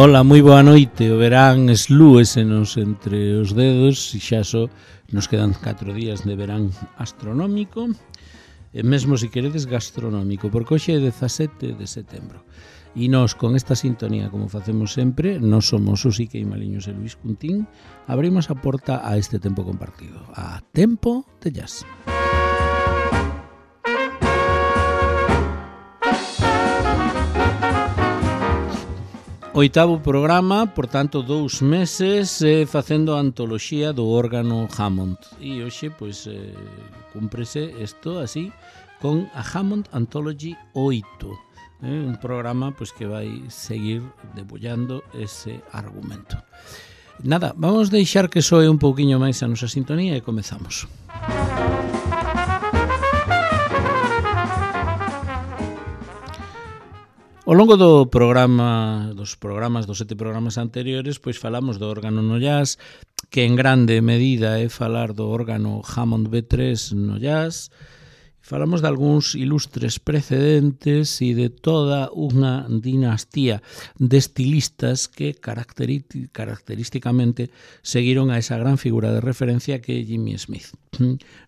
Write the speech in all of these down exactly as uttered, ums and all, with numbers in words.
Ola, moi boa noite. O verán eslúesenos entre os dedos e xa só nos quedan catro días de verán astronómico e mesmo se queredes gastronómico, porque hoxe é dezasete de setembro. E nós, con esta sintonía, como facemos sempre, nós somos o Siquei Maliños e Luís Cuntín, abrimos a porta a este tempo compartido, a Tempo de Jazz. Oitavo programa, por tanto, dous meses eh, facendo a antoloxía do órgano Hammond. E hoxe, pois, eh, cúmprese isto así, con a Hammond Anthology oito. Eh, un programa pois, que vai seguir debullando ese argumento. Nada, vamos deixar que soe un pouquiño máis a nosa sintonía e comezamos. Ao longo do programa, dos programas, dos sete programas anteriores, pois falamos do órgano no jazz, que en grande medida é falar do órgano Hammond B tres no jazz. Falamos de algúns ilustres precedentes e de toda unha dinastía de estilistas que característicamente seguiron a esa gran figura de referencia que é Jimmy Smith.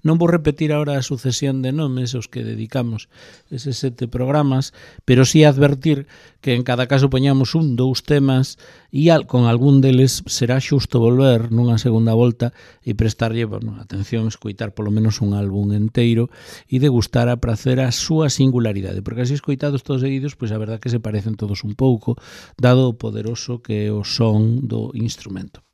Non vou repetir agora a sucesión de nomes aos que dedicamos eses sete programas, pero sí advertir que en cada caso poñamos un, dous temas e con algún deles será xusto volver nunha segunda volta e prestarlle, bueno, atención, escoitar polo menos un álbum enteiro e degustar a prazer a súa singularidade, porque así escoitados todos seguidos, pois a verdad que se parecen todos un pouco, dado o poderoso que é o son do instrumento.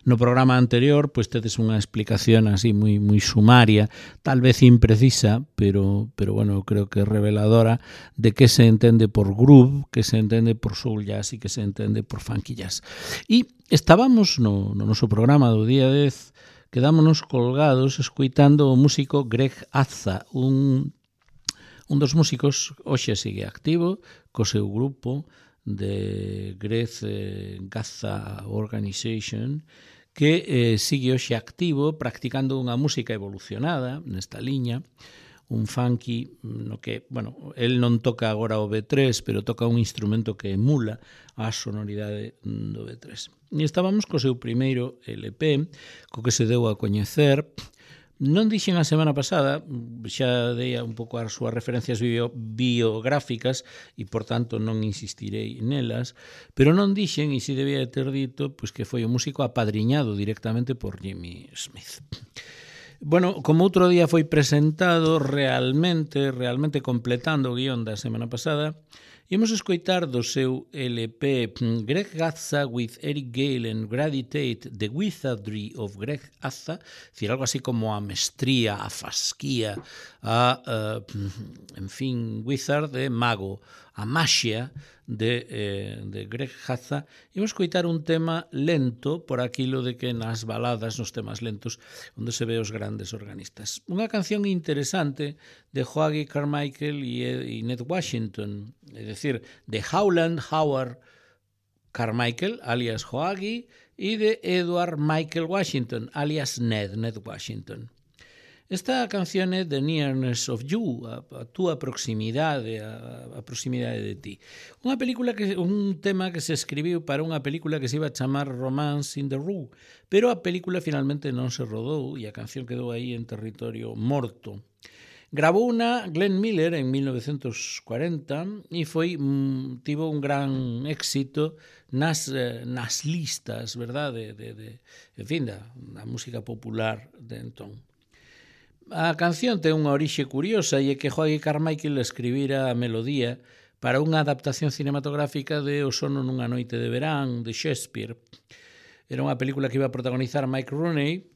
No programa anterior, pois tedes unha explicación así moi moi sumaria, tal vez imprecisa, pero pero bueno, creo que reveladora de que se entende por groove, que se entende por soul jazz e que se entende por funky jazz. E estábamos no, no noso programa do día dez, quedámonos colgados escoitando o músico Greg Azza, un un dos músicos hoxe sigue activo co seu grupo de Greg Azza Organization, que eh, sigue hoxe activo practicando unha música evolucionada nesta liña, un funky no que, bueno, el non toca agora o B tres, pero toca un instrumento que emula a sonoridade do B tres. E estábamos co seu primeiro L P, co que se deu a coñecer. Non dixen a semana pasada, xa dei un pouco as súas referencias bio, biográficas e, por tanto, non insistirei nelas, pero non dixen, e si debía ter dito, pois que foi o músico apadriñado directamente por Jimmy Smith. Bueno, como outro día foi presentado, realmente, realmente completando o guión da semana pasada, imos escoitar do seu L P Greg Azza with Eric Gale and Grady Tate, The Wizardry of Greg Azza, decir, algo así como a mestría, a fasquía, a, uh, en fin, wizard de mago, a maxia de, eh, de Greg Azza. Imos escoitar un tema lento por aquilo de que nas baladas, nos temas lentos, onde se ve os grandes organistas. Unha canción interesante de Hoagy Carmichael e, e Ned Washington, é dicir, de Howland Howard Carmichael, alias Hoagy, e de Edward Michael Washington, alias Ned, Ned Washington. Esta canción é The Nearness of You, a, a túa proximidade, a, a proximidade de ti. Unha película que un tema que se escribiu para unha película que se iba a chamar Romance in the Rue, pero a película finalmente non se rodou e a canción quedou aí en territorio morto. Gravou unha Glenn Miller en mil novecentos cuarenta e foi mm, tivo un gran éxito nas, eh, nas listas, verdade, de, de, en fin, da, da música popular de entón. A canción ten unha orixe curiosa e é que Hoagy Carmichael escribira a melodía para unha adaptación cinematográfica de O sono nunha noite de verán, de Shakespeare. Era unha película que iba a protagonizar Mike Rooney,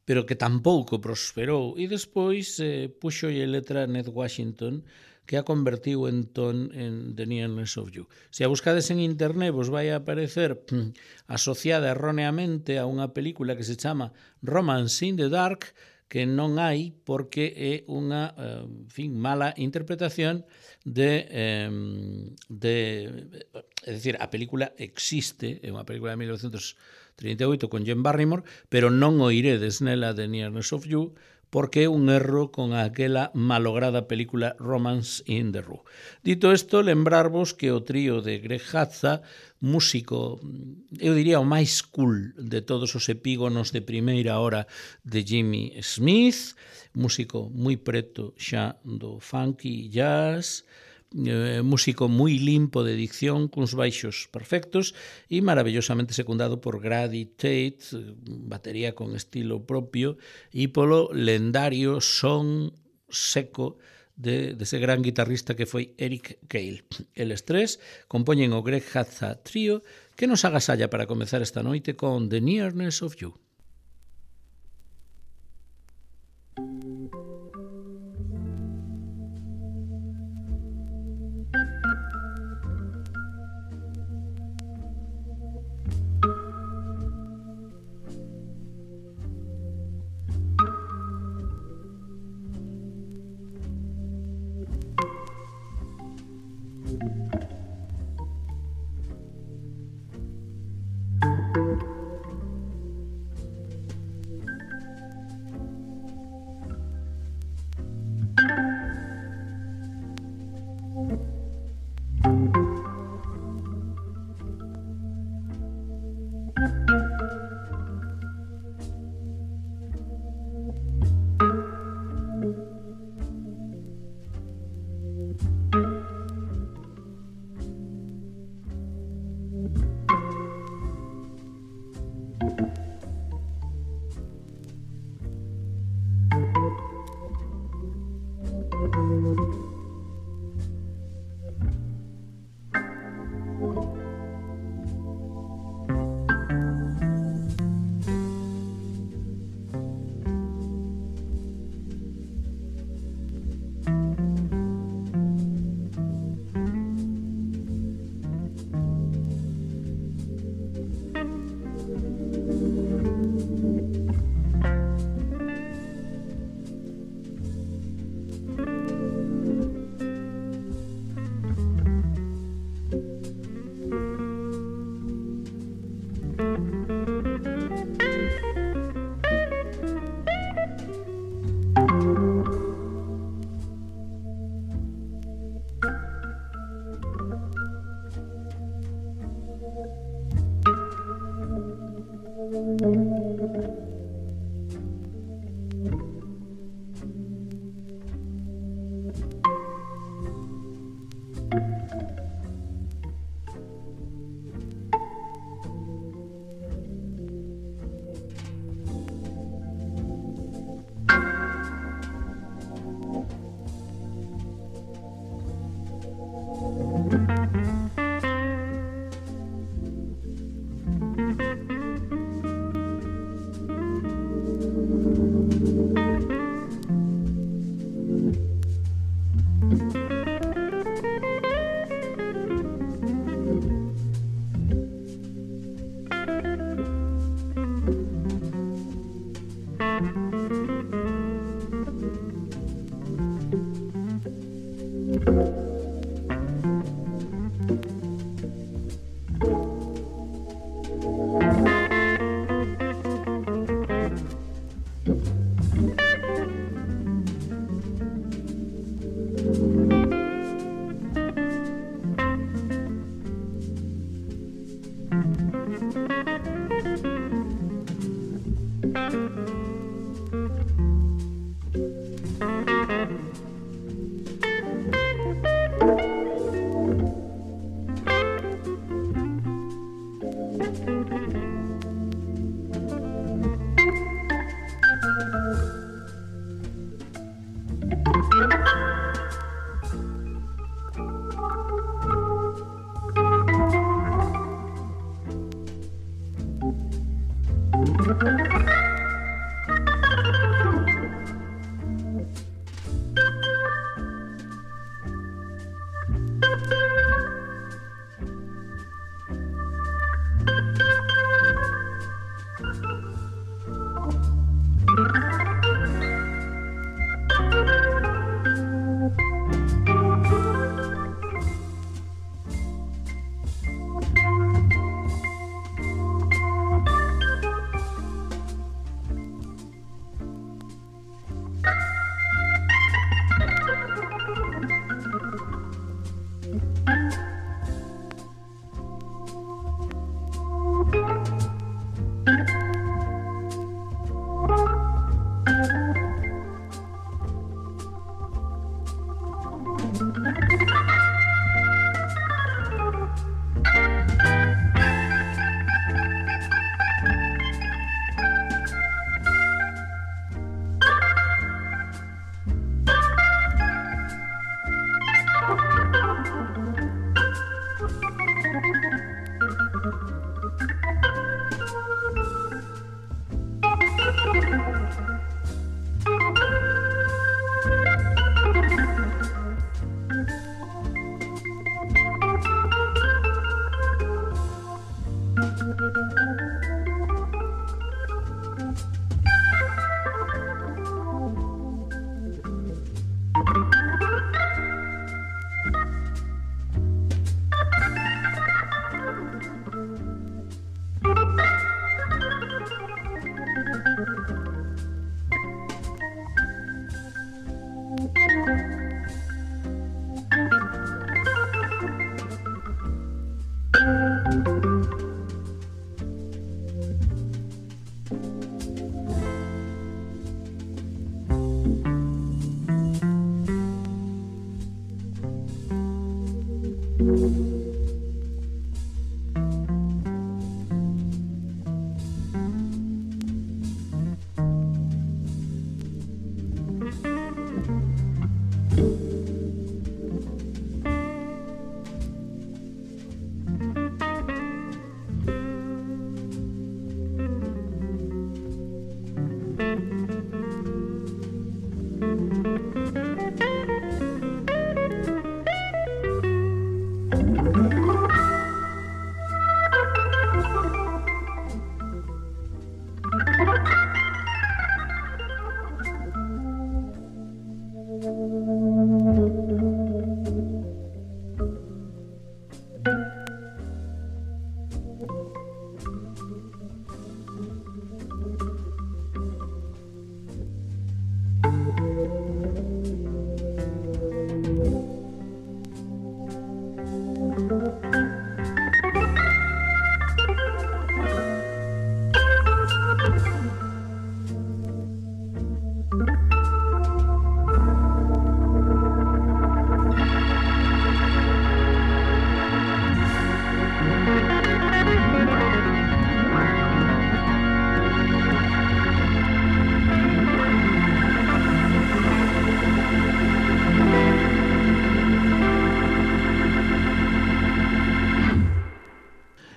pero que tampouco prosperou, e despois eh, puxo e letra Ned Washington, que a convertiu entón en The Nearness of You. Se a buscades en internet vos vai a aparecer pff, asociada erróneamente a unha película que se chama Romance in the Dark, que non hai porque é unha en fin, mala interpretación de, de... É dicir, a película existe, é unha película de mil novecentos trinta e oito con Jane Barrymore, pero non o iredes nela de Nearness of You porque é un erro con aquela malograda película Romance in the Rue. Dito isto, lembrarvos que o trío de Greg Hadza, músico, eu diría o máis cool de todos os epígonos de primeira hora de Jimmy Smith, músico moi preto xa do funky jazz, Eh, músico moi limpo de dicción, cuns baixos perfectos e maravillosamente secundado por Grady Tate, batería con estilo propio, e polo lendario son seco de, de ese gran guitarrista que foi Eric Cale. Eles tres compoñen o Greg Hadza Trio, que nos agasalla para comezar esta noite con The Nearness of You.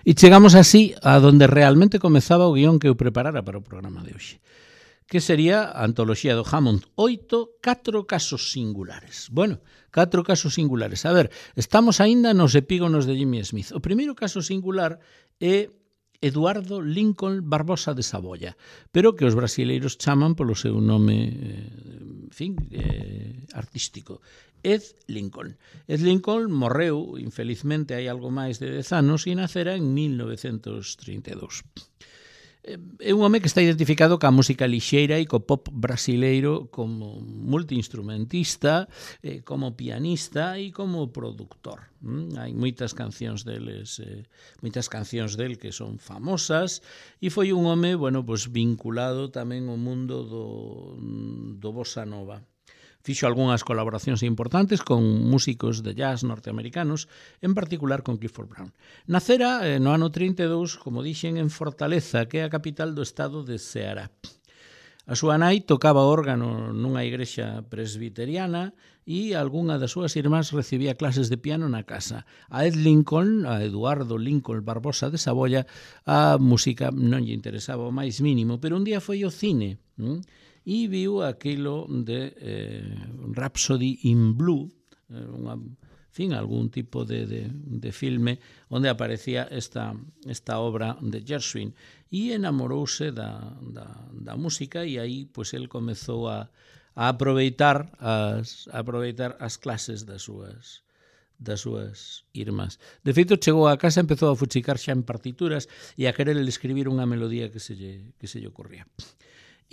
E chegamos así a donde realmente comezaba o guión que eu preparara para o programa de hoxe, que sería a antoloxía do Hammond oito, catro casos singulares. Bueno, catro casos singulares. A ver, estamos aínda nos epígonos de Jimmy Smith. O primeiro caso singular é Eduardo Lincoln Barbosa de Saboya, pero que os brasileiros chaman polo seu nome, eh, en fin, eh, artístico. Ed Lincoln. Ed Lincoln morreu, infelizmente, hai algo máis de dez anos e nacera en mil novecentos trinta e dous. É un home que está identificado ca música lixeira e co pop brasileiro como multiinstrumentista, eh, como pianista e como productor. Mm? Hai moitas cancións deles, eh, moitas cancións del que son famosas e foi un home, bueno, pues vinculado tamén ao mundo do, do bossa nova. Fixo algunhas colaboracións importantes con músicos de jazz norteamericanos, en particular con Clifford Brown. Nacera eh, no ano trinta e dous, como dixen, en Fortaleza, que é a capital do estado de Ceará. A súa nai tocaba órgano nunha igrexa presbiteriana e algunha das súas irmás recibía clases de piano na casa. A Ed Lincoln, a Eduardo Lincoln Barbosa de Saboya, a música non lle interesaba o máis mínimo, pero un día foi ao cine, hm? e viu aquilo de eh, Rhapsody in Blue, eh, unha, en fin, algún tipo de, de, de filme onde aparecía esta, esta obra de Gershwin e enamorouse da, da, da música e aí pues, el comezou a, a aproveitar as, a aproveitar as clases das súas das súas irmás. De feito, chegou a casa e empezou a fuchicar xa en partituras e a querer escribir unha melodía que se lle, que se lle ocurría.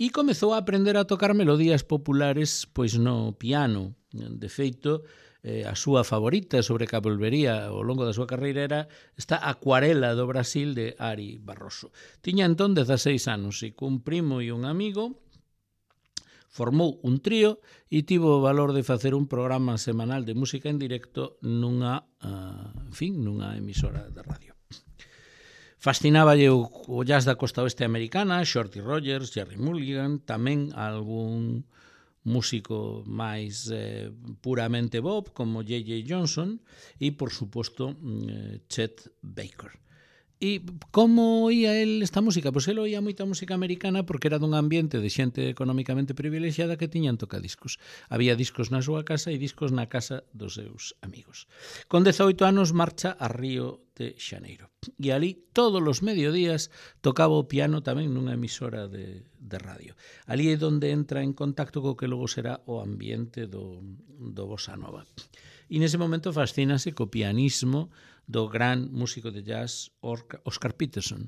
E comezou a aprender a tocar melodías populares pois no piano. De feito, eh, a súa favorita sobre que volvería ao longo da súa carreira era esta Acuarela do Brasil de Ari Barroso. Tiña entón dezaseis anos e cun primo e un amigo formou un trío e tivo o valor de facer un programa semanal de música en directo nunha, uh, en fin, nunha emisora de radio. Fascináballe o, o jazz da costa oeste americana, Shorty Rogers, Jerry Mulligan, tamén algún músico máis eh, puramente Bob, como J J Johnson, e, por suposto, eh, Chet Baker. E como oía el esta música? Pois el oía moita música americana porque era dun ambiente de xente económicamente privilexiada que tiñan tocadiscos. Había discos na súa casa e discos na casa dos seus amigos. Con dezaoito anos marcha a Río de Xaneiro. E ali, todos os mediodías, tocaba o piano tamén nunha emisora de, de radio. Ali é onde entra en contacto co que logo será o ambiente do, do bossa nova. E nese momento fascínase co pianismo do gran músico de jazz Oscar Peterson.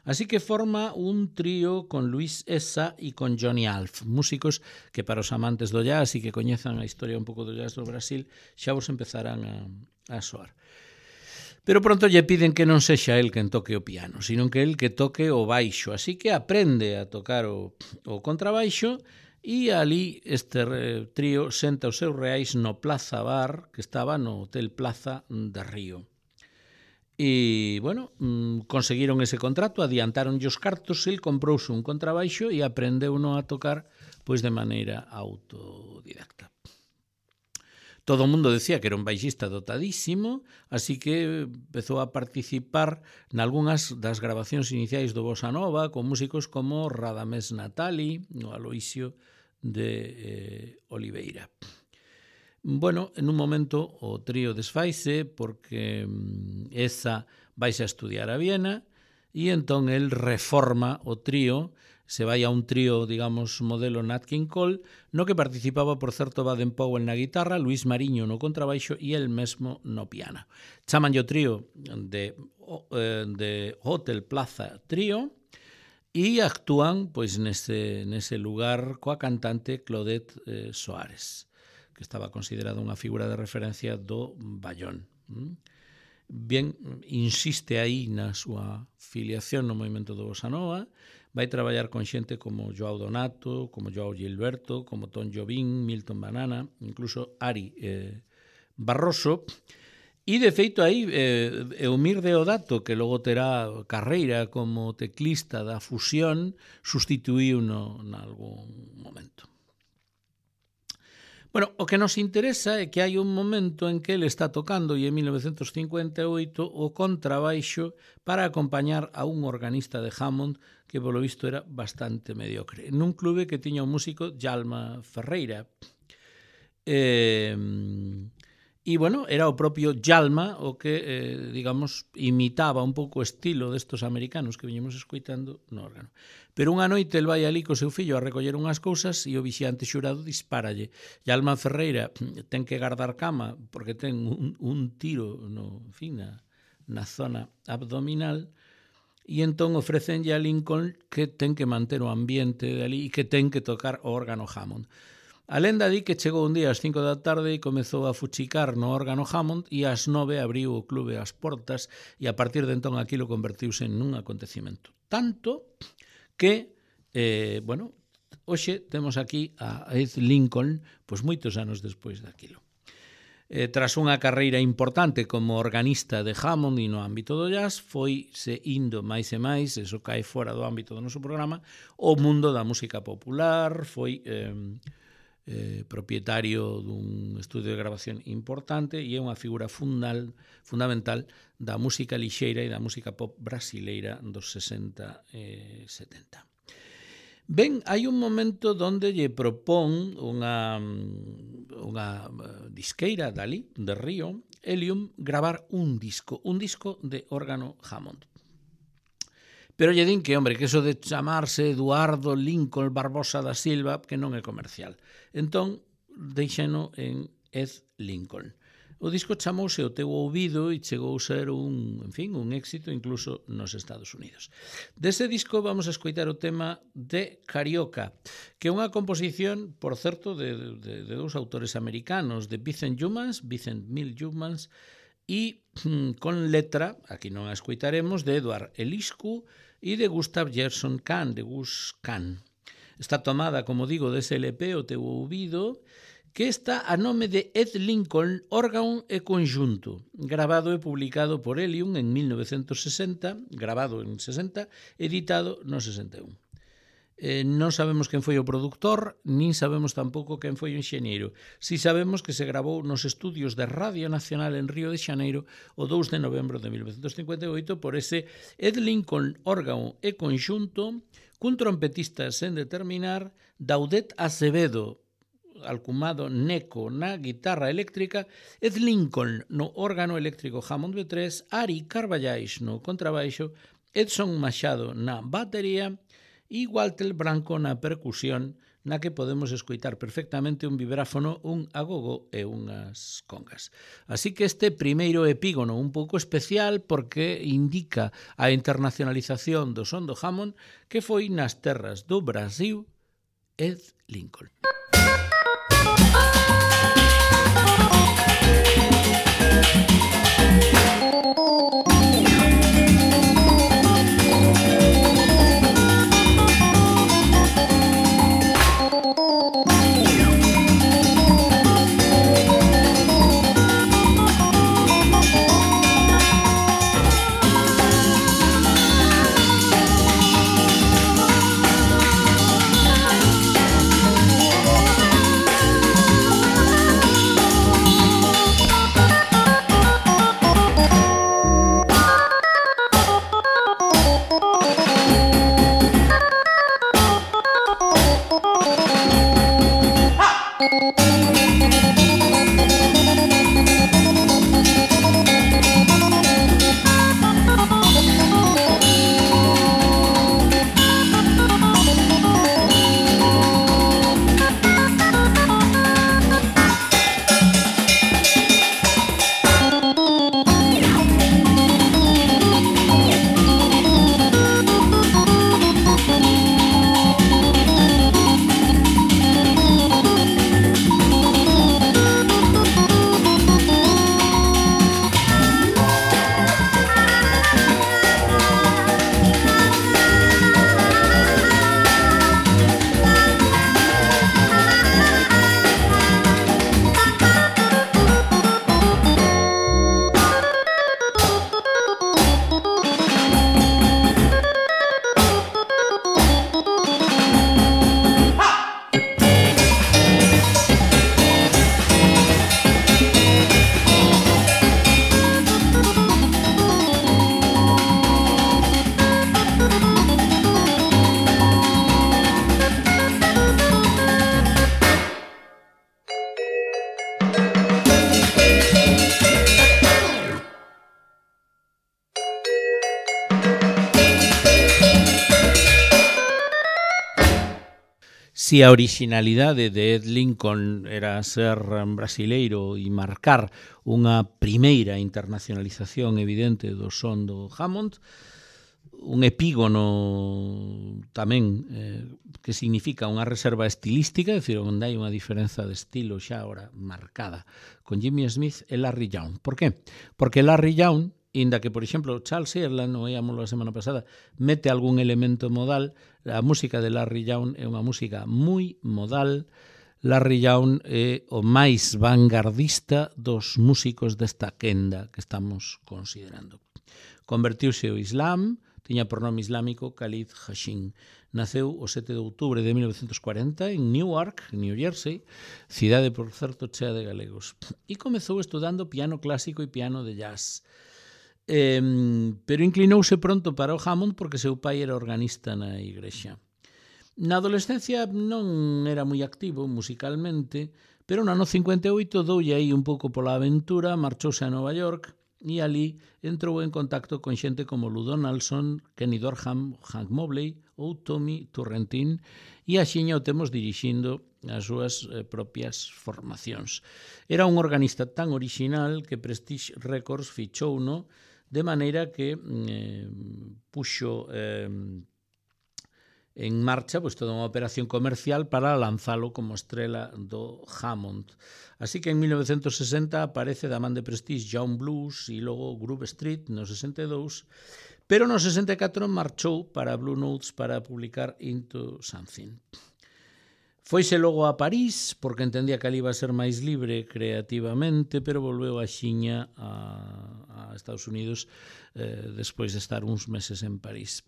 Así que forma un trío con Luis Essa e con Johnny Alf, músicos que para os amantes do jazz e que coñezan a historia un pouco do jazz do Brasil xa vos empezarán a, a soar. Pero pronto lle piden que non sexa el quen toque o piano, sino que el que toque o baixo, así que aprende a tocar o, o contrabaixo. E ali este trío senta os seus reais no Plaza Bar, que estaba no Hotel Plaza de Río. E, bueno, conseguiron ese contrato, adiantaron os cartos, el comprouse un contrabaixo e aprendeu no a tocar pois de maneira autodidacta. todo o mundo decía que era un baixista dotadísimo, así que empezou a participar nalgúnas das grabacións iniciais do Bossa Nova con músicos como Radamés Natali ou Aloisio de eh, Oliveira. Bueno, en un momento o trío desfaise porque esa vaise a estudiar a Viena e entón el reforma o trío, se vai a un trío, digamos, modelo Nat King Cole, no que participaba, por certo, Baden Powell na guitarra, Luis Mariño no contrabaixo e el mesmo no piano. Chaman o trío de, de Hotel Plaza Trío e actúan pois nese, nese lugar coa cantante Claudette eh, Soares, que estaba considerada unha figura de referencia do Bayón. Ben, insiste aí na súa filiación no movimento do Bossa Nova, vai traballar con xente como Joao Donato, como Joao Gilberto, como Tom Jobim, Milton Banana, incluso Ari eh, Barroso, e de feito aí eh, Eumir Deodato, que logo terá carreira como teclista da Fusión, sustituíu no nalgún momento. Bueno, o que nos interesa é que hai un momento en que ele está tocando, e en mil novecentos cincuenta e oito, o contrabaixo para acompañar a un organista de Hammond que, polo visto, era bastante mediocre, nun clube que tiña un músico, Djalma Ferreira. Eh, e, bueno, era o propio Djalma o que, eh, digamos, imitaba un pouco o estilo destos americanos que viñemos escoitando no órgano. Pero unha noite el vai ali co seu fillo a recoller unhas cousas e o vixiante xurado dispáralle. Djalma Ferreira ten que guardar cama porque ten un, un tiro no, en fin, na, na zona abdominal e entón ofrecenlle a Lincoln que ten que manter o ambiente de ali e que ten que tocar o órgano Hammond. A lenda di que chegou un día ás cinco da tarde e comezou a fuchicar no órgano Hammond e ás nove abriu o clube as portas e a partir de entón aquilo convertiuse nun acontecimento. Tanto que, eh, bueno, hoxe temos aquí a Ed Lincoln, pois moitos anos despois daquilo. Eh, tras unha carreira importante como organista de Hammond e no ámbito do jazz, foi se indo máis e máis, eso cae fora do ámbito do noso programa, o mundo da música popular, foi eh, eh, propietario dun estudio de grabación importante e é unha figura fundal, fundamental da música lixeira e da música pop brasileira dos sesenta e setenta. Ben, hai un momento onde lle propón unha, unha disqueira dali, de Río, Helium, gravar un disco, un disco de órgano Hammond. Pero lle din que, hombre, que eso de chamarse Eduardo Lincoln Barbosa da Silva, que non é comercial. Entón, deixeno en Ed Lincoln. O disco chamouse O teu ouvido e chegou a ser un, en fin, un éxito incluso nos Estados Unidos. Dese disco vamos a escoitar o tema de Carioca, que é unha composición, por certo, de, de, de dous autores americanos, de Vincent Youmans, Vincent Mill Youmans, e con letra, aquí non a escoitaremos, de Edward Eliscu e de Gustav Gerson Kahn, de Gus Kahn. Está tomada, como digo, dese L P, O teu ouvido, que está a nome de Ed Lincoln, órgano e conjunto, grabado e publicado por Helium en mil novecentos sesenta, grabado en sesenta, editado no sesenta e un. Eh, non sabemos quen foi o produtor, nin sabemos tampouco quen foi o enxeñeiro. Si sabemos que se grabou nos estudios de Radio Nacional en Río de Xaneiro o dous de novembro de mil novecentos cincuenta e oito por ese Ed Lincoln, órgano e conjunto, cun trompetista sen determinar, Daudet Acevedo, alcumado Neco na guitarra eléctrica, Ed Lincoln no órgano eléctrico Hammond B tres, Ari Carballais no contrabaixo, Edson Machado na batería e Walter Branco na percusión, na que podemos escoitar perfectamente un vibráfono, un agogo e unhas congas. Así que este primeiro epígono un pouco especial porque indica a internacionalización do son do Hammond que foi nas terras do Brasil, Ed Lincoln. Thank you. Si a originalidade de Ed Lincoln era ser brasileiro e marcar unha primeira internacionalización evidente do son do Hammond, un epígono tamén eh, que significa unha reserva estilística, é dicir, onde hai unha diferenza de estilo xa ahora marcada con Jimmy Smith e Larry Young. Por qué? Porque Larry Young, inda que, por exemplo, Charles Ireland, o oíamoslo a semana pasada, mete algún elemento modal, a música de Larry Young é unha música moi modal. Larry Young é o máis vanguardista dos músicos desta quenda que estamos considerando. Convertiuse ao Islam, tiña por nome islámico Khalid Hashim. Naceu o sete de outubro de mil novecientos cuarenta en Newark, New Jersey, cidade, por certo, chea de galegos. E comezou estudando piano clásico e piano de jazz. Eh, pero inclinouse pronto para o Hammond porque seu pai era organista na igrexa. Na adolescencia non era moi activo musicalmente, pero no ano cincuenta e oito doulle aí un pouco pola aventura, marchouse a Nova York e ali entrou en contacto con xente como Lou Donaldson, Kenny Dorham, Hank Mobley ou Tommy Turrentine, e axiña o temos dirixindo as súas eh, propias formacións. Era un organista tan orixinal que Prestige Records fichouno, de maneira que eh, puxo eh, en marcha pois, toda unha operación comercial para lanzalo como estrela do Hammond. Así que en mil novecientos sesenta aparece da man de Prestige Young Blues e logo Groove Street no sesenta e dous, pero no sesenta e catro marchou para Blue Notes para publicar Into Something. Foise logo a París, porque entendía que ali iba a ser máis libre creativamente, pero volveu a xiña a, a Estados Unidos eh, despois de estar uns meses en París.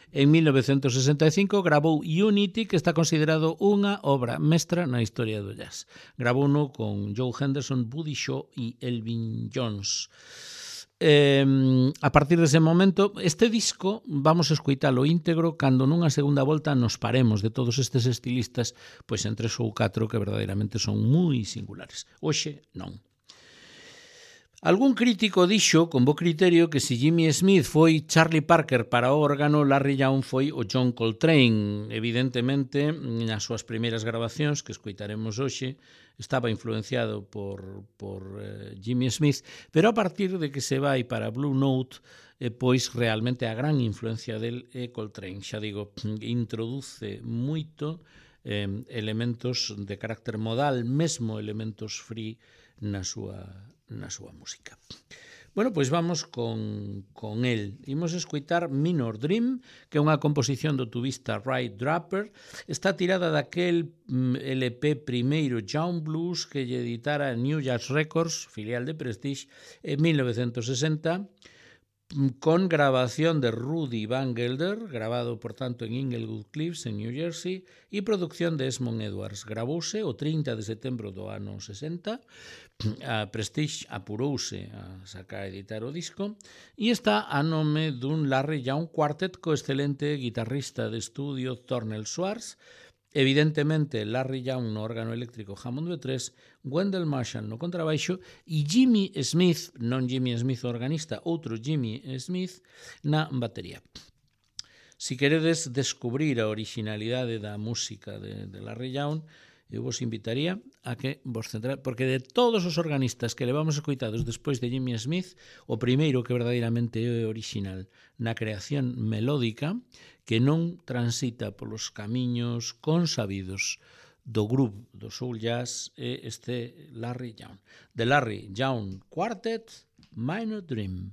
En mil novecientos sesenta e cinco gravou Unity, que está considerado unha obra mestra na historia do jazz. Gravouno con Joe Henderson, Buddy Shaw e Elvin Jones. Eh, a partir dese momento, este disco vamos a escoitalo íntegro cando nunha segunda volta nos paremos de todos estes estilistas, pois en tres ou catro que verdadeiramente son moi singulares. Hoxe non. Algún crítico dixo, con bo criterio, que se Jimmy Smith foi Charlie Parker para o órgano, Larry Young foi o John Coltrane. Evidentemente, nas súas primeiras grabacións, que escoitaremos hoxe, estaba influenciado por, por eh, Jimmy Smith, pero a partir de que se vai para Blue Note, eh, pois realmente a gran influencia del é Coltrane. Xa digo, introduce moito eh, elementos de carácter modal, mesmo elementos free na súa na súa música. Bueno, pois vamos con, con el. Imos escoitar Minor Dream, que é unha composición do tubista Ray Draper. Está tirada daquel L P primeiro Young Blues que lle editara New Jazz Records, filial de Prestige, en mil novecientos sesenta, con grabación de Rudy Van Gelder, grabado, por tanto, en Inglewood Cliffs, en New Jersey, e producción de Esmond Edwards. Gravouse o trinta de setembro do ano sesenta, a Prestige apurouse a sacar a editar o disco, e está a nome dun Larry Young Quartet co excelente guitarrista de estudio Thornell Schwartz, evidentemente Larry Young no órgano eléctrico Hammond B tres, Wendell Marshall no contrabaixo e Jimmy Smith, non Jimmy Smith o organista, outro Jimmy Smith na batería. Si queredes descubrir a originalidade da música de, de Larry Young, eu vos invitaría a que vos centrade, porque de todos os organistas que levamos escoitados despois de Jimmy Smith, o primeiro que verdadeiramente é original na creación melódica, que non transita polos camiños consabidos do groove do soul jazz, é este Larry Young. The Larry Young Quartet, Minor Dream.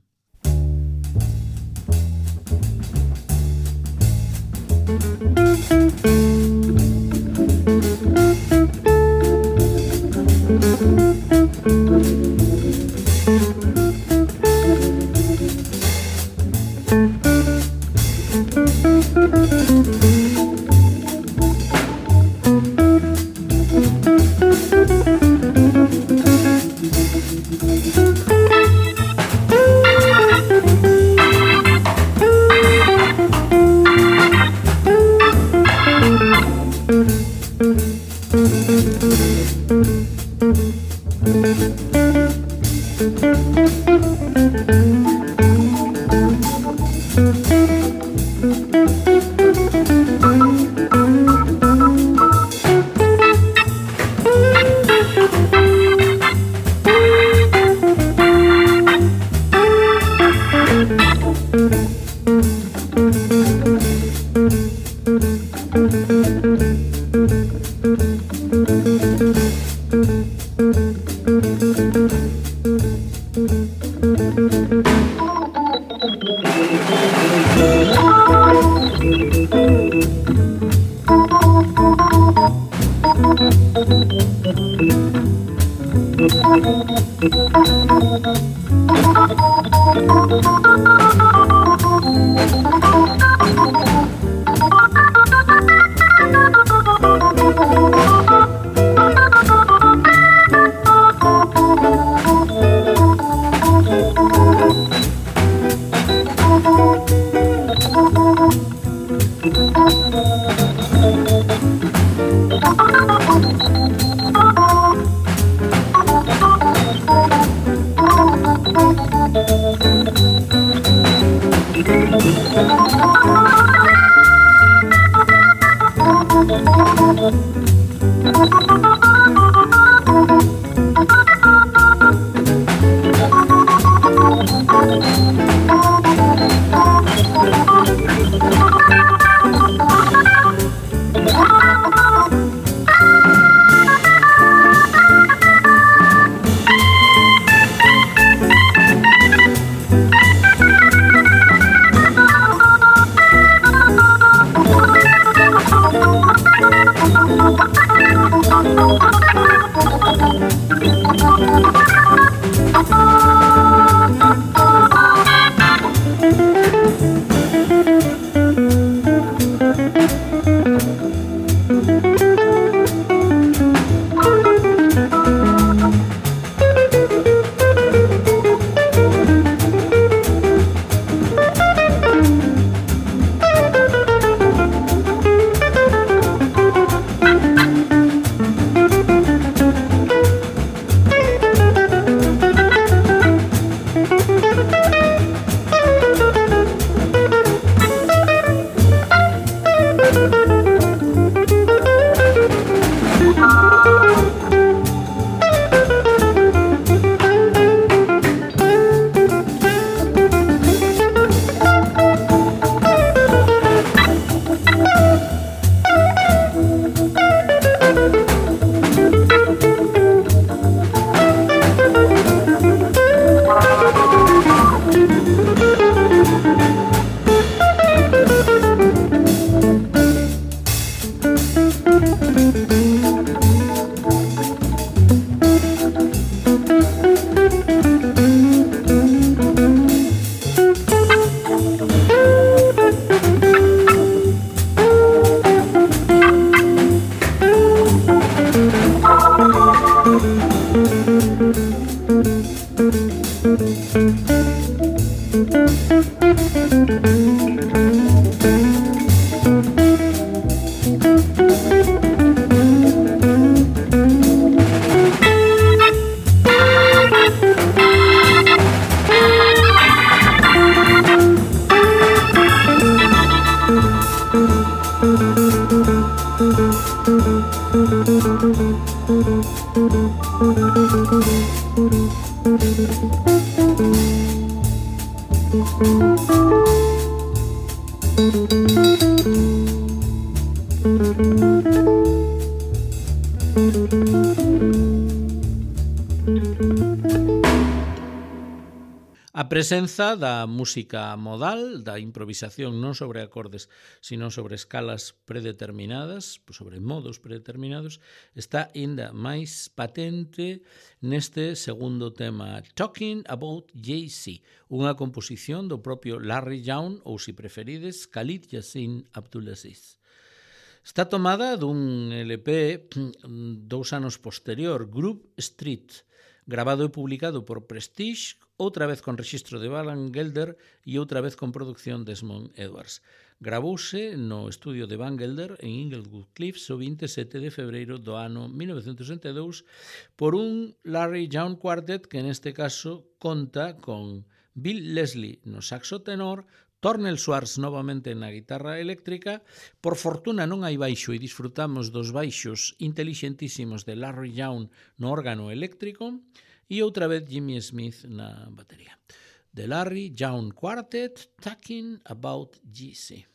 A presenza da música modal, da improvisación non sobre acordes, sino sobre escalas predeterminadas, sobre modos predeterminados, está ainda máis patente neste segundo tema, Talking About Jay-Z, unha composición do propio Larry Young, ou, se preferides, Khalid Yasin Abdulaziz. Está tomada dun L P dous anos posterior, Grove Street, grabado e publicado por Prestige, outra vez con rexistro de Van Gelder e outra vez con producción de Desmond Edwards. Gravouse no estudio de Van Gelder en Inglewood Cliffs o vinte e sete de febreiro do ano mil novecentos sesenta e dous por un Larry Young Quartet que neste caso conta con Bill Leslie no saxo tenor, Tornel Swartz novamente na guitarra eléctrica. Por fortuna non hai baixo e disfrutamos dos baixos intelixentísimos de Larry Young no órgano eléctrico e outra vez Jimmy Smith na batería. The Larry Young Quartet, Talking About Jay-Z.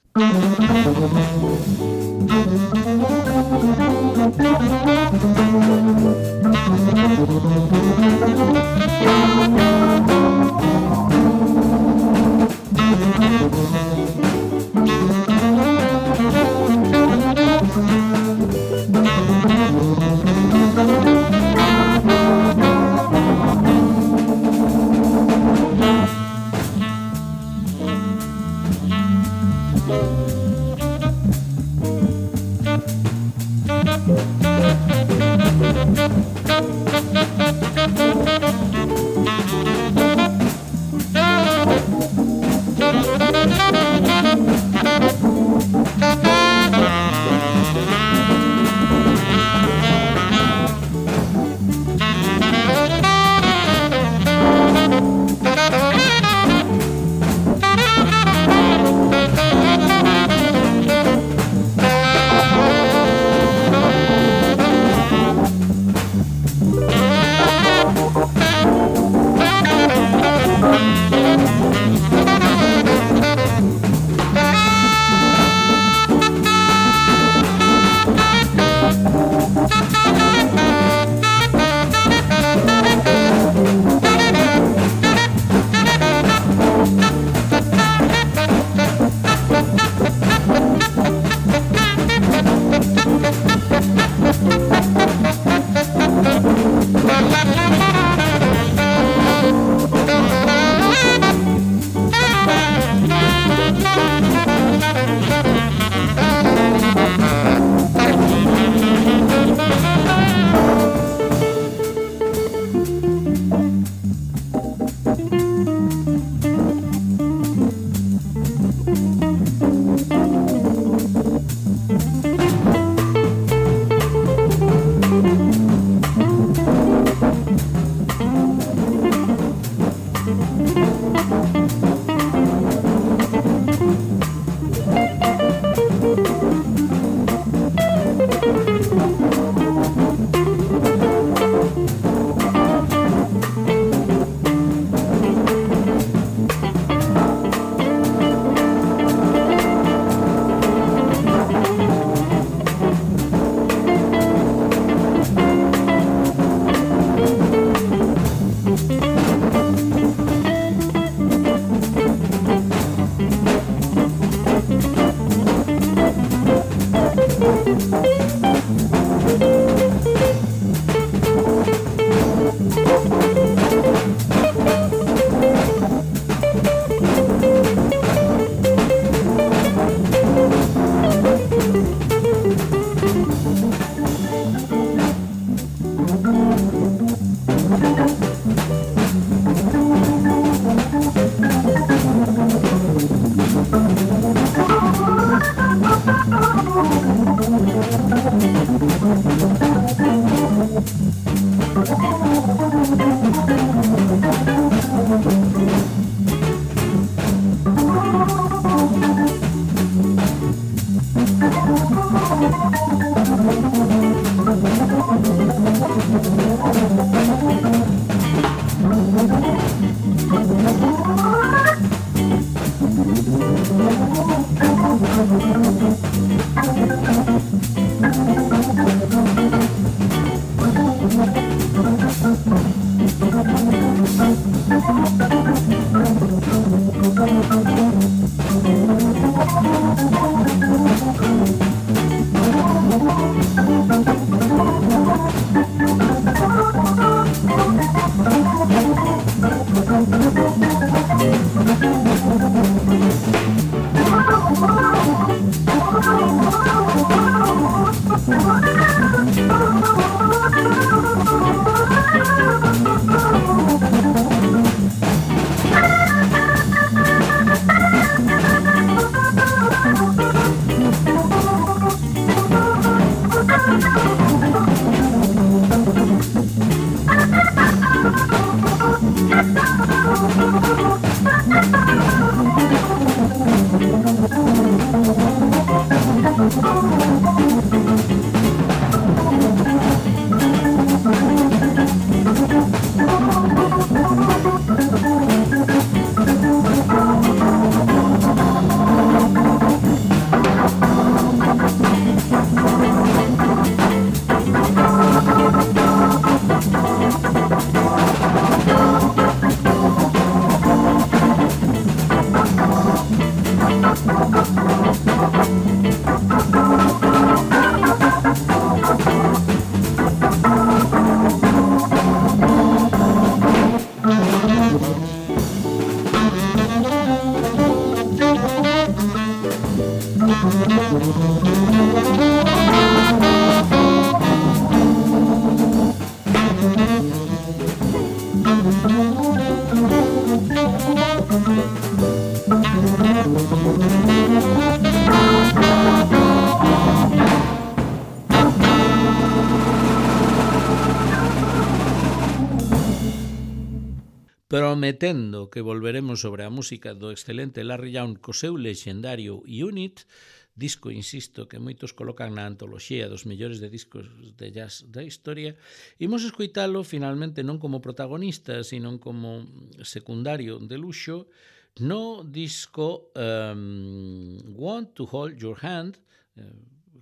prometendo que volveremos sobre a música do excelente Larry Young co seu lexendario Unit, disco, insisto, que moitos colocan na antoloxía dos mellores de discos de jazz da historia. Imos escoitalo finalmente non como protagonista, sino como secundario de luxo no disco um, Want to Hold Your Hand, eh,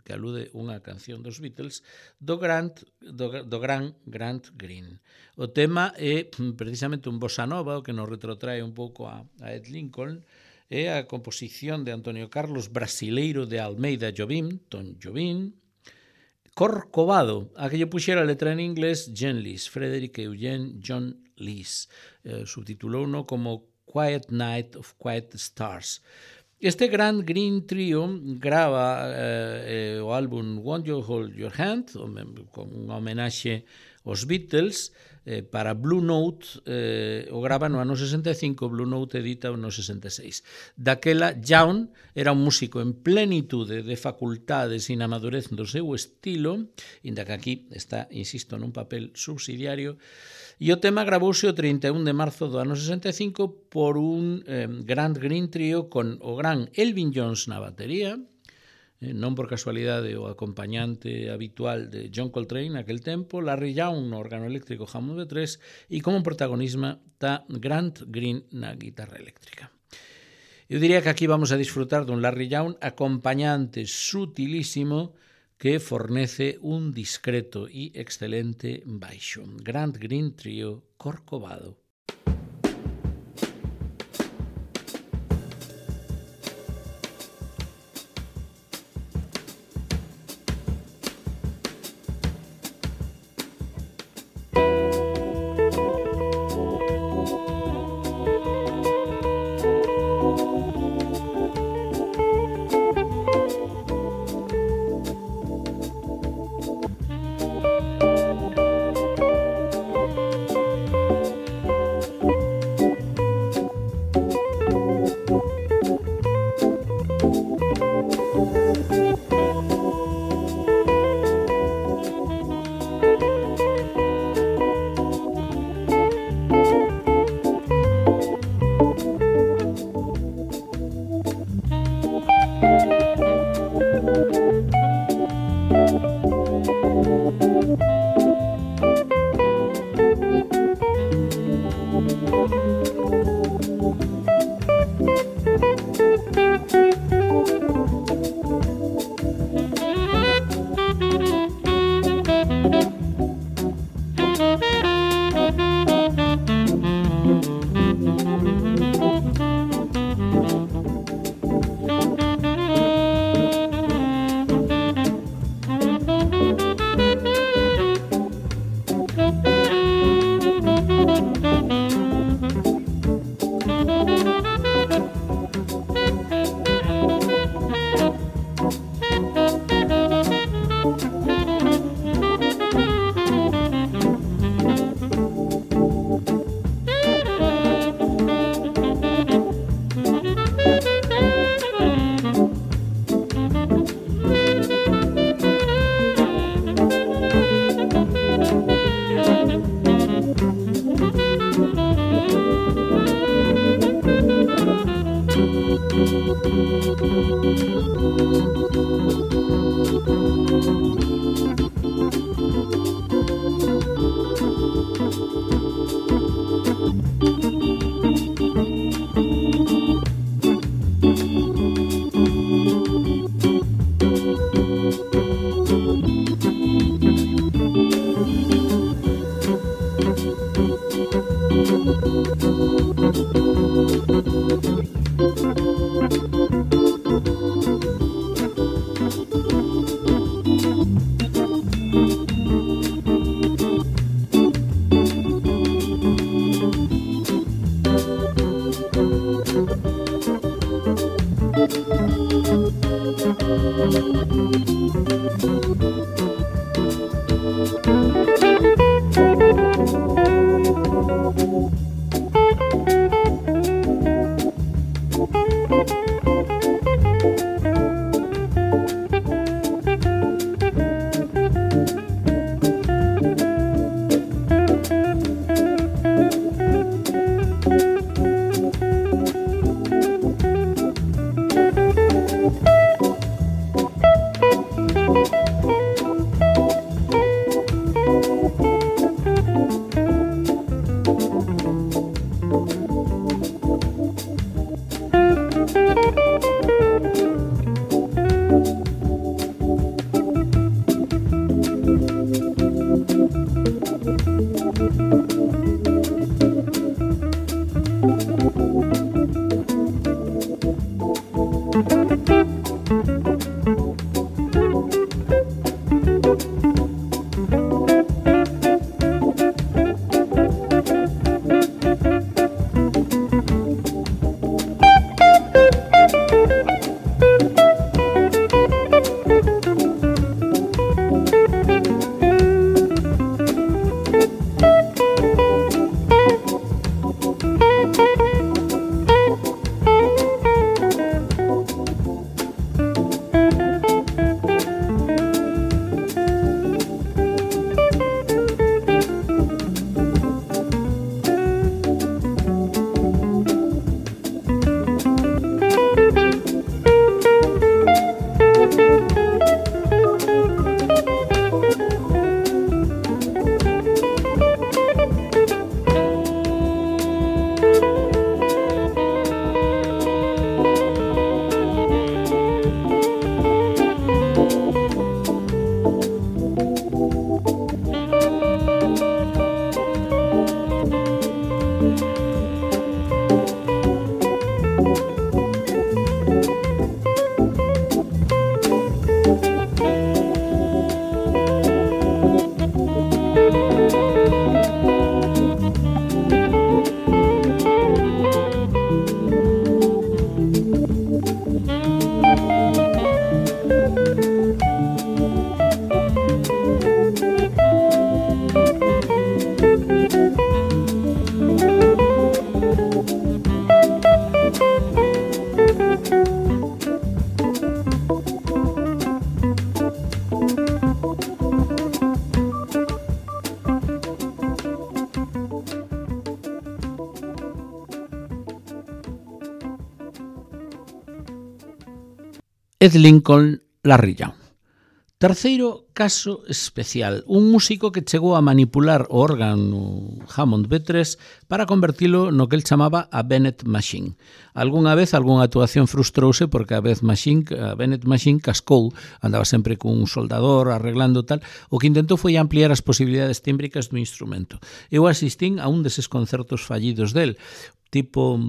que alude unha canción dos Beatles, do, Grant, do, do gran Grant Green. O tema é precisamente un bossa nova, o que nos retrotrae un pouco a, a Ed Lincoln, é a composición de Antonio Carlos Brasileiro de Almeida Jobim, Tom Jobim, Corcovado, a que lle puxera a letra en inglés John Lees, Frederick Eugene John Lees, eh, subtitulouno como Quiet Night of Quiet Stars. Este Grant Green Trio grava eh, o álbum Want You Hold Your Hand, con unha homenaxe aos Beatles, eh, para Blue Note, eh, o grava no ano sesenta e cinco, Blue Note edita no sesenta e seis. Daquela, Young era un músico en plenitude de facultades e na madurez do seu estilo, inda que aquí está, insisto, nun papel subsidiario, e o tema gravouse o trinta e un de marzo do ano sesenta e cinco por un eh, Grant Green Trio con o gran Elvin Jones na batería, eh, non por casualidade o acompañante habitual de John Coltrane naquel tempo, Larry Young no órgano eléctrico Hammond B tres e como protagonismo está Grant Green na guitarra eléctrica. Eu diría que aquí vamos a disfrutar dun Larry Young acompañante sutilísimo que fornece un discreto e excelente baixo. Grant Green Trio, Corcovado. Ed Lincoln, Larry Young. Terceiro caso especial, un músico que chegou a manipular o órgano Hammond B tres para convertilo no que el chamaba a Bennett Machine. Algúnha vez algunha actuación frustrouse porque a Bennett Machine, a Bennett Machine cascou, andaba sempre cun soldador arreglando tal, o que intentou foi ampliar as posibilidades tímbricas do instrumento. Eu asistín a un deses concertos fallidos del, tipo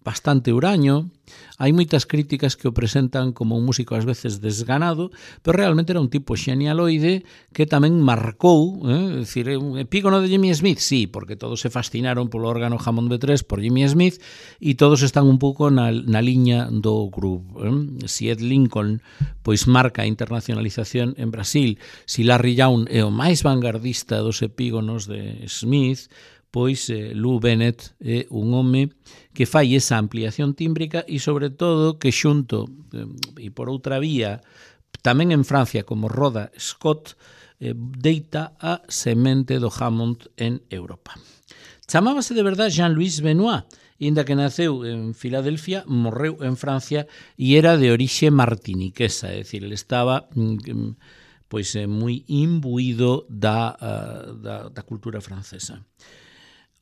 bastante huraño. Hai moitas críticas que o presentan como un músico ás veces desganado, pero realmente era un tipo xenialoide que tamén marcou, eh? É dicir, un epígono de Jimmy Smith, sí, porque todos se fascinaron polo órgano Hammond B tres por Jimmy Smith e todos están un pouco na, na liña do groove. Eh? Si Ed Lincoln pois marca a internacionalización en Brasil, si Larry Young é o máis vanguardista dos epígonos de Smith, pois eh, Lou Bennett é un home que fai esa ampliación tímbrica e, sobre todo, que xunto, eh, e por outra vía, tamén en Francia, como Roda Scott, eh, deita a semente do Hammond en Europa. Chamábase de verdade Jean-Louis Benoit, inda que naceu en Filadelfia, morreu en Francia e era de orixe martiniquesa, é dicir, ele estaba mm, pois eh, moi imbuído da, uh, da, da cultura francesa.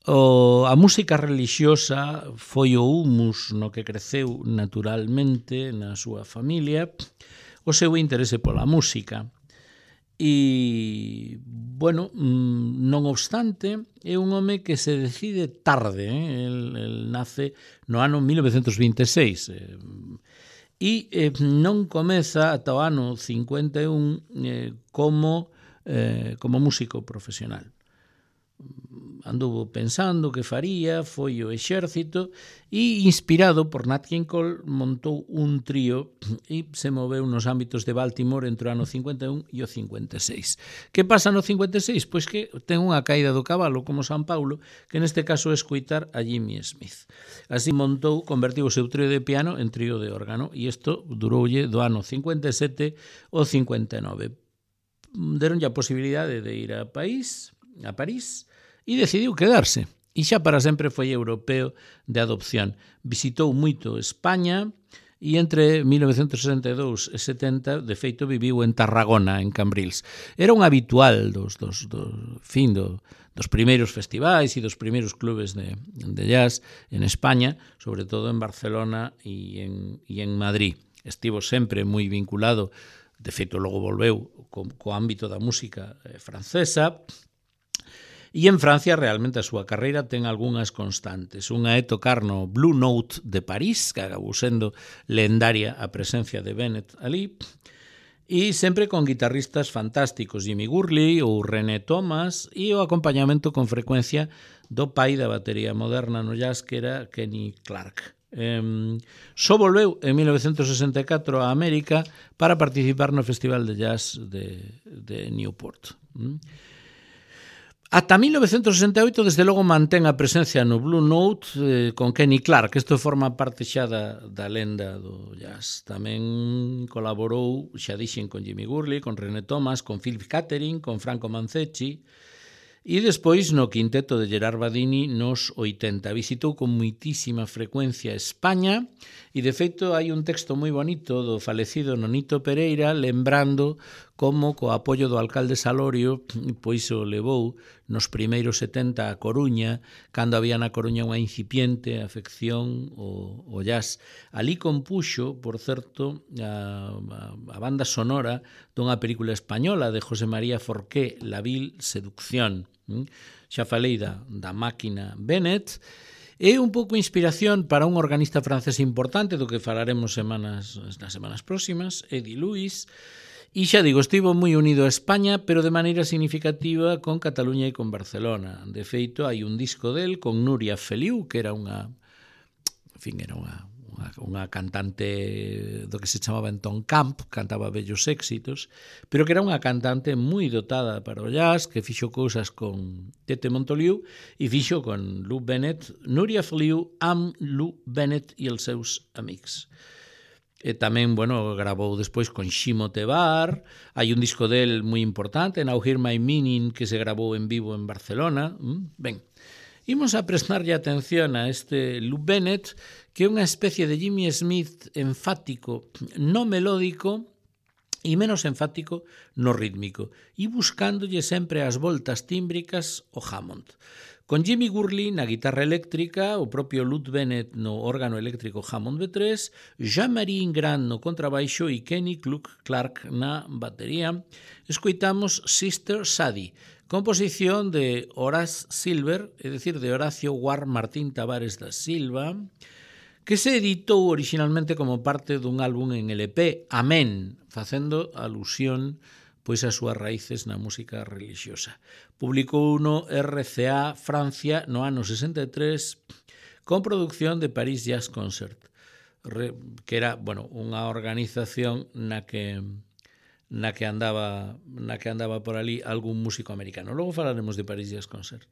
O, a música relixiosa foi o humus no que creceu naturalmente na súa familia, o seu interese pola música. E, bueno, non obstante, é un home que se decide tarde, eh? el, el nace no ano mil novecentos vinte e seis, eh? e eh, non comeza ata o ano cincuenta e un eh, como, eh, como músico profesional. Anduvo pensando que faría, foi o exército e, inspirado por Nat King Cole, montou un trío e se moveu nos ámbitos de Baltimore entre o ano cincuenta e un e o cincuenta e seis. Que pasa no cincuenta e seis? Pois que ten unha caída do cabalo como San Paulo, que neste caso é escoitar a Jimmy Smith. Así montou, convertiu o seu trío de piano en trío de órgano e isto duroulle do ano cincuenta e sete ao cincuenta e nove. Deronlle a posibilidade de ir a París, a París, e decidiu quedarse. E xa para sempre foi europeo de adopción. Visitou moito España e entre mil novecentos sesenta e dous e setenta, de feito, viviu en Tarragona, en Cambrils. Era un habitual dos, dos, dos, fin, do, dos primeiros festivais e dos primeiros clubes de, de jazz en España, sobre todo en Barcelona e en, e en Madrid. Estivo sempre moi vinculado, de feito, logo volveu co, co ámbito da música francesa. E en Francia realmente a súa carreira ten algunhas constantes. Unha é tocar no Blue Note de París, que acabou sendo lendaria a presencia de Bennett ali, e sempre con guitarristas fantásticos, Jimmy Gurley ou René Thomas, e o acompañamento con frecuencia do pai da batería moderna no jazz, que era Kenny Clarke. Eh, só volveu en mil novecentos sesenta e catro a América para participar no Festival de Jazz de, de Newport. Mm. Ata mil novecentos sesenta e oito, desde logo, mantén a presencia no Blue Note eh, con Kenny Clarke. Isto forma parte xa da, da lenda do jazz. Tamén colaborou, xa dixen, con Jimmy Gurley, con René Thomas, con Philip Catherine, con Franco Manzecchi, e despois no quinteto de Gerard Badini nos oitenta. Visitou con moitísima frecuencia España e, de feito, hai un texto moi bonito do falecido Nonito Pereira lembrando como, co apoio do alcalde Salorio, pois o levou nos primeiros setenta a Coruña, cando había na Coruña unha incipiente afección ao, ao jazz. Ali compuxo, por certo, a, a, a banda sonora dunha película española de José María Forqué, La vil seducción. Xa falei da, da máquina Bennett. É un pouco inspiración para un organista francés importante do que falaremos semanas, nas semanas próximas, Eddie Lewis. E xa digo, estivo moi unido a España, pero de maneira significativa con Cataluña e con Barcelona. De feito, hai un disco del con Núria Feliu, que era unha, en fin, era unha, unha, unha cantante do que se chamaba entón camp, cantaba bellos éxitos, pero que era unha cantante moi dotada para o jazz, que fixo cousas con Tete Montoliu e fixo con Lou Bennett, Núria Feliu amb Lou Bennett e els seus amics. E tamén, bueno, grabou despois con Ximo Tebar. Hai un disco del moi importante, Now Hear My Meaning, que se grabou en vivo en Barcelona. Ben, imos a prestarlle atención a este Lou Bennett, que é unha especie de Jimmy Smith enfático no melódico e menos enfático no rítmico, e buscándolle sempre as voltas tímbricas o Hammond. Con Jimmy Gurley na guitarra eléctrica, o propio Lou Bennett no órgano eléctrico Hammond B tres, Jean-Marie Ingrand no contrabaixo e Kenny Clarke na batería, escoitamos Sister Sadie, composición de Horace Silver, é dicir, de Horacio Guar Martín Tavares da Silva, que se editou originalmente como parte dun álbum en L P, Amén, facendo alusión pois as súas raíces na música religiosa. Publicou no R C A Francia no ano sesenta e tres con produción de Paris Jazz Concert, que era, bueno, unha organización na que na que andaba na que andaba por ali algún músico americano. Logo falaremos de Paris Jazz Concert.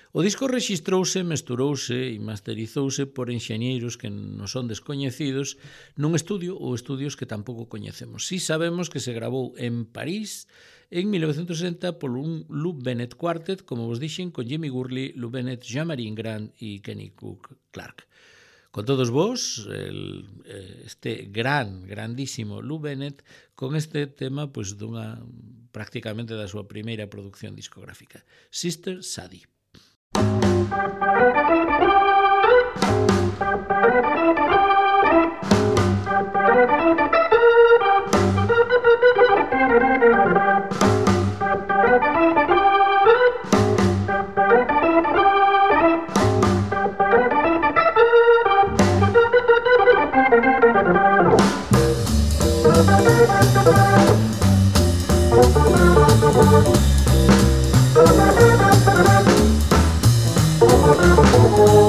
O disco rexistrouse, mesturouse e masterizouse por enxeñeiros que non son descoñecidos nun estudio ou estudios que tampouco coñecemos. Si sabemos que se grabou en París en mil novecentos sesenta por un Lou Bennett Quartet, como vos dixen, con Jimmy Gurley, Lou Bennett, Jean-Marie Ingrand e Kenny Clarke. Con todos vos, el, este gran, grandísimo Lou Bennett, con este tema, pois, dunha, prácticamente da súa primeira produción discográfica, Sister Sadie. Oh,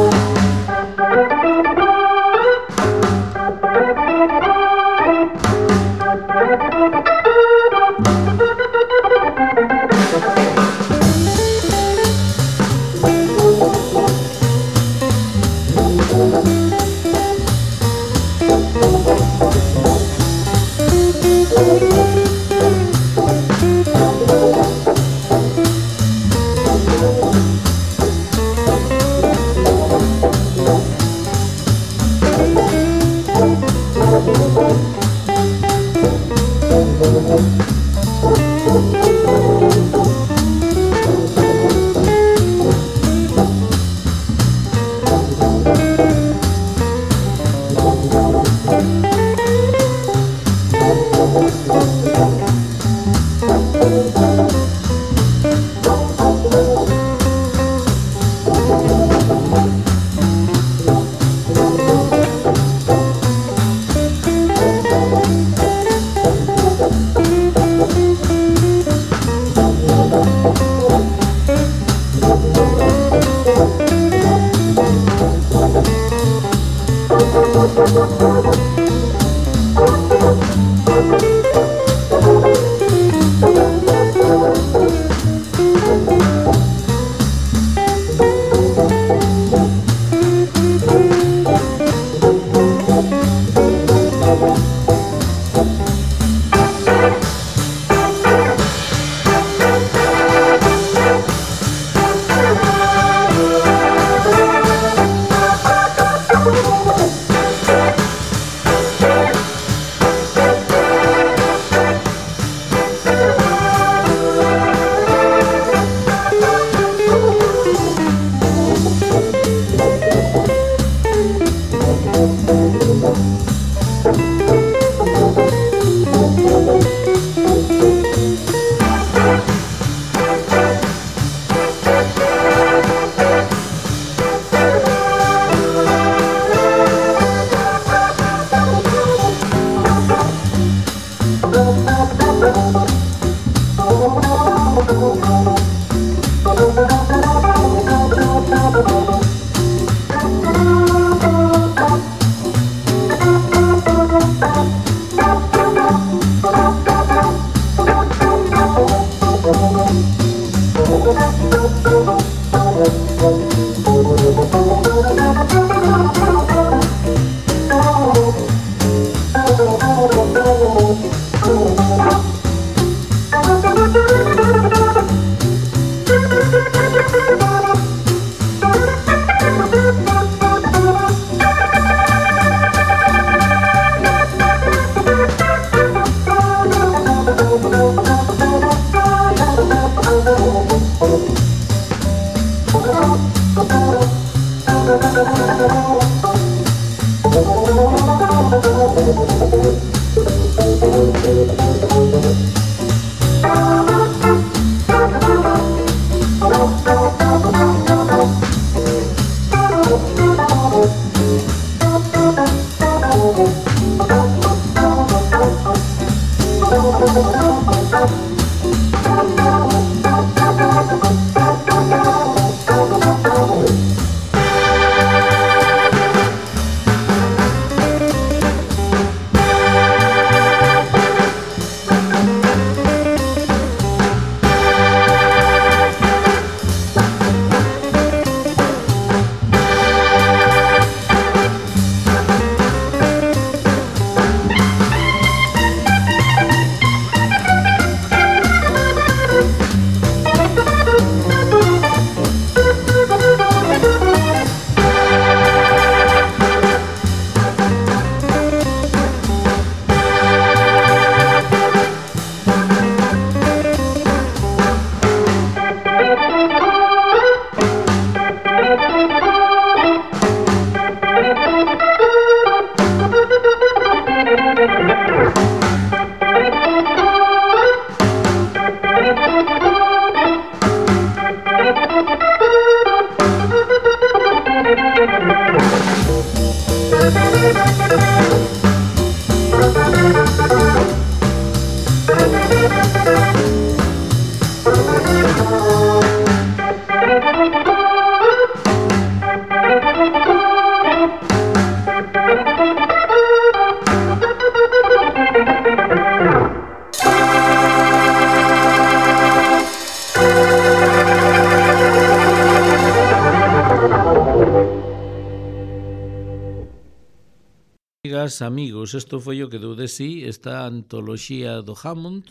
Amigas, amigos, isto foi o que deu de sí esta antoloxía do Hammond,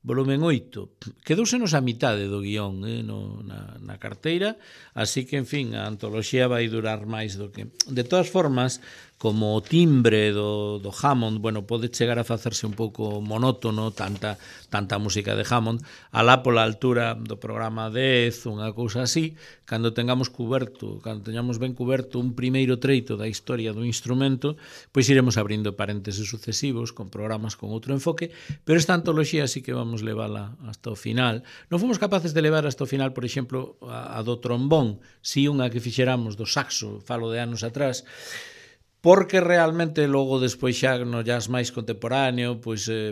volumen oito. Quedousenos a mitade do guión eh, no, na, na carteira, así que, en fin, a antoloxía vai durar máis do que... De todas formas, como o timbre do, do Hammond, bueno, pode chegar a facerse un pouco monótono, tanta, tanta música de Hammond, alá pola altura do programa dez, unha cousa así, cando tengamos cuberto, cando teñamos ben cuberto un primeiro treito da historia do instrumento, pois iremos abrindo parénteses sucesivos con programas con outro enfoque, pero esta antoloxía sí que vamos levala hasta o final. Non fomos capaces de levar hasta o final, por exemplo, a, a do trombón, si unha que fixeramos do saxo, falo de anos atrás, porque realmente logo despois xa no jazz máis contemporáneo, pois eh,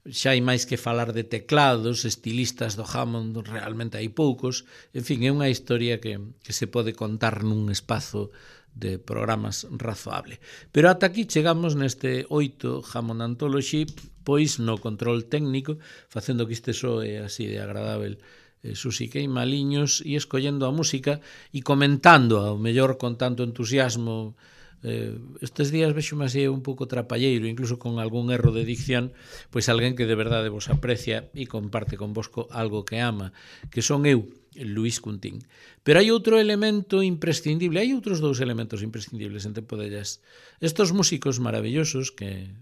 xa hai máis que falar de teclados, estilistas do Hammond realmente hai poucos, en fin, é unha historia que, que se pode contar nun espazo de programas razoable. Pero ata aquí chegamos neste oito Hammond Anthology, pois no control técnico, facendo que este soe así de agradável eh, Susi Queimaliños, e escollendo a música e comentando, ao mellor con tanto entusiasmo. Eh, estes días vexo máis un pouco trapalleiro, incluso con algún erro de dicción, pois alguén que de verdade vos aprecia e comparte convosco algo que ama, que son eu, Luís Cuntín. Pero hai outro elemento imprescindible, hai outros dous elementos imprescindibles en Tempo de Jazz. Estos músicos maravillosos que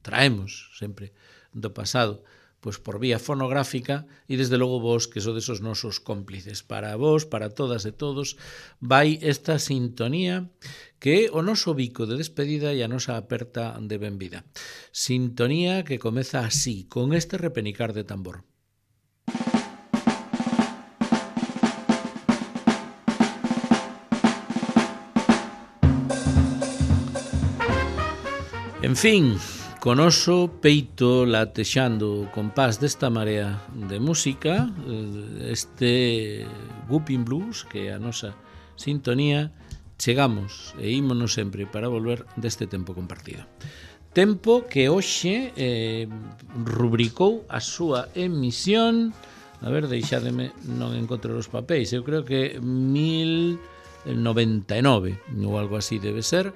traemos sempre do pasado, pois por vía fonográfica, e desde logo vos, que sodes os nosos cómplices. Para vos, para todas e todos, vai esta sintonía que é o noso bico de despedida e a nosa aperta de benvida. Sintonía que comeza así, con este repenicar de tambor. En fin, con oso peito latexando o compás desta marea de música, este Whooping Blues, que é a nosa sintonía, chegamos e ímonos sempre para volver deste tempo compartido. Tempo que hoxe eh, rubricou a súa emisión, a ver, deixádeme, non encontro os papéis, eu creo que mil noventa e nove, ou algo así debe ser,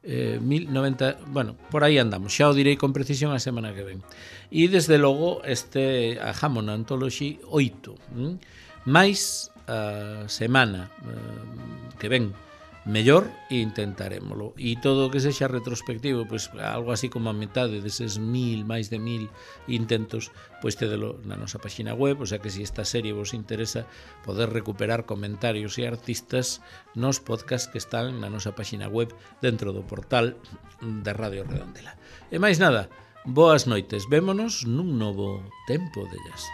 Eh, mil noventa, bueno, por aí andamos, xa o direi con precisión a semana que ven. E desde logo este a Hammond Anthology oito, hm? máis a semana eh, que ven mellor e intentarémolo, e todo o que sexa retrospectivo, pois algo así como a metade deses mil, máis de mil intentos, pois tedelo na nosa página web, o sea que se esta serie vos interesa, poder recuperar comentarios e artistas nos podcasts que están na nosa página web dentro do portal de Radio Redondela. E máis nada, boas noites, vémonos nun novo Tempo de Jazz.